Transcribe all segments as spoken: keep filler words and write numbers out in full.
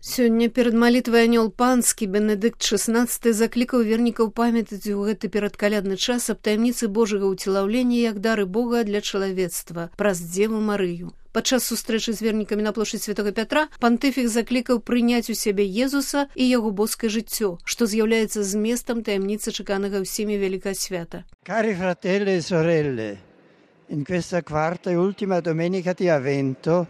Сёння перад малітвай анёл панскі Бенедыкт шаснаццаты заклікаў вернікаў памятаць у гэты перадкалядны час аб таямніцы Божага ўцелаўлення як дары Бога для чалавецтва праз Дзеву Марыю. Падчас сустрэчы з вернікамі на плошчы Святога Пятра пантыфік заклікаў прыняць у сябе Езуса і яго боскае жыццё, што з'яўляецца зместам таямніцы чаканага ўсімі вялікага свята. Cari fratelli e sorelle, in questa quarta e ultima domenica di Avvento,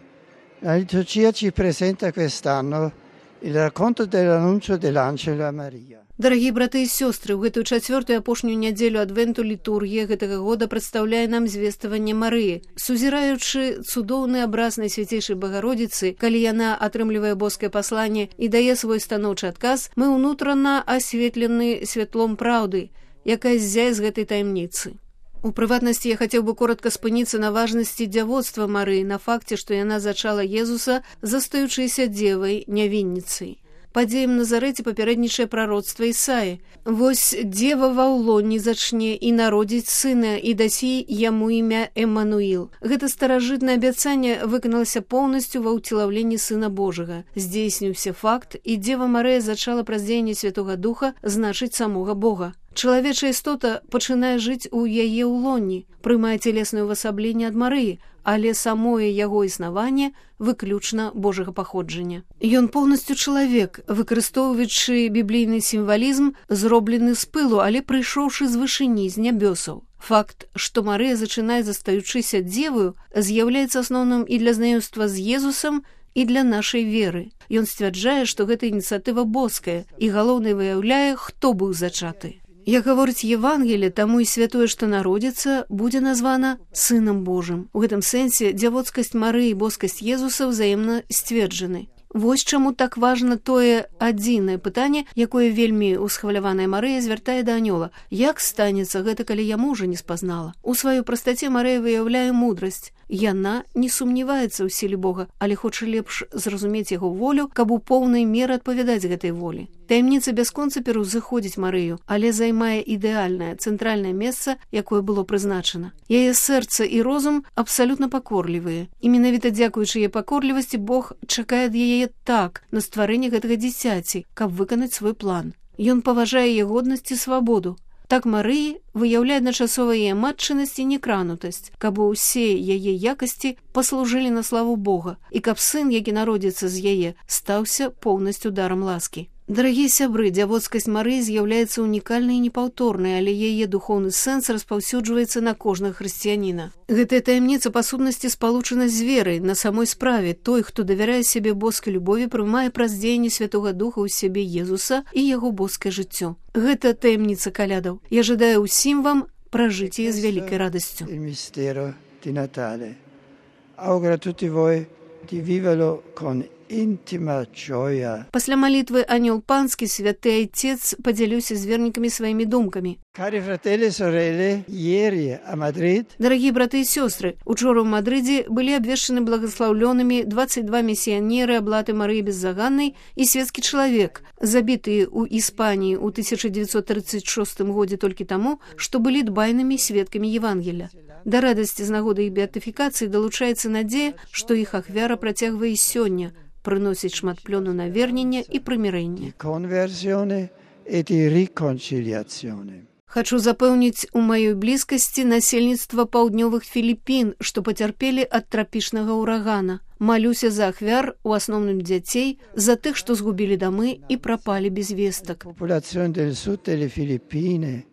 la liturgia ci presenta quest'anno il racconto dell'annuncio dell'angelo a Maria. Дарагія браты і сёстры, у гэтую чацвёртую апошнюю нядзелю адвенту літургія гэтага года прадстаўляе нам звестваванне Марыі. Сузіраючы цудоўны абраз Найсвяцейшай Багародзіцы, калі яна атрымлівае боскае пасланне і дае свой станоўчы адказ, мы ўнутрана асветлены святлом праўды, якая ззяе з гэтай таямніцы. У прыватнасці я хацеў бы коротка спыніцца на важнасці дзявоцтва Марыі, на факце, што яна зачала Езуса, застаючыся дзевай, нявінніцай. Падзеям Назарэце папярэднічае прароцтва Ісаі. Вось дзева ва ўлоні зачне і народзіць сына, і дасі яму імя Эммануіл. Гэта старажытнае абяцанне выканалася поўнасцю ва ўцелаўленні Сына Божага. Здзейсніўся факт, і Дзева Марыя зачала праз дзеянне Святога Духа, значыць самога Бога. Чалавечая істота пачынае жыць у яе ўлоні, прымае целеснае ўвасабленне ад Марыі, але самое яго існаванне выключна Божага паходжання. Ён поўнасцю чалавек, выкарыстоўваючы біблійны сімвалізм, зроблены з пылу, але прыйшоўшы з вышыні, з нябёсаў. Факт, што Марыя зачынае застаючыся дзеваю, з'яўляецца асноўным і для знаёмства з Езусам, і для нашай веры. Ён сцвярджае, што гэта ініцыятыва боская, і галоўнай выяўляе, хто быў зачаты. Як гаворыць Евангелие, таму і святое, што народзіцца, будзе названа Сынам Божым. У гэтым сэнсе дзявоцкасць Марыі і боскасць Езуса ўзаемна сцверджаны. Вось чаму так важна тое адзінае пытанне, якое вельмі усхваляваная Марыя звяртае да анёла. Як станецца гэта, калі я мужа не спазнала? У сваёй прастаце Марыя выяўляе мудрасць. Яна не сумняваецца ў сіле Бога, але хоча лепш зразумець яго волю, каб у поўнай меры адпавядаць гэтай волі. Таямніца бясконца пераўзыходзіць Марыю, але займае ідэальнае, цэнтральнае месца, якое было прызначана. Яе сэрца і розум абсалютна пакорлівыя. І менавіта дзякуючы яе пакорлівасці Бог чакае ад яе так на стварэнне гэтага дзіцяці, каб выканаць свой план. Ён паважае яе годнасць і свабоду. Так Марыі выяўляе адначасова яе матчынасць і некранутасць, каб усе яе якасці паслужылі на славу Бога, і каб сын, які народзіцца з яе, стаўся поўнасцю дарам ласкі. Дарагія сябры, дзявоцкасць Марыі з'яўляецца унікальнай і непаўторнай, але яе духоўны сэнс распаўсюджваецца на кожнага хрысціяніна. Гэтая таямніца па сутнасці спалучана з верай на самой справе. Той, хто давярае сябе боскай любові, прымае праз дзеянне Святога Духа ў сябе Езуса і яго боскае жыццё. Гэта таямніца калядаў. Я жадаю ўсім вам пражыць яе з вялікай радасцю. Il mistero di Natale. Auguro a tutti voi di viverlo con intima gioia. Пасля малітвы анёл панскі святы айцец падзяліўся з вернікамі сваімі думкамі. Cari fratelli e sorelle, ieri a Madrid, Дарагія браты і сёстры, учора ў Мадрыдзе былі абвешчаны благаслаўлёнымі дваццаць два місіянеры аблаты Марыі Беззаганнай і свецкі чалавек, забітыя ў Іспаніі ў тысяча дзевяцьсот трыццаць шостым годзе толькі таму, што былі дбайнымі сведкамі Евангелля. Да радасці з нагоды іх беатыфікацыі далучаецца надзея, што іх ахвяра працягвае і сёння, прыносіць шмат плёну навернення і прымірэння. conversione e di riconciliazione. Хачу запэўніць у маёй блізкасці насельніцтва паўднёвых Філіпін, што пацярпелі ад трапічнага ўрагана. Малюся за ахвяр, у асноўным дзяцей, за тых, што згубілі дамы і прапалі без вестак. Popolazione del sud delle Filippine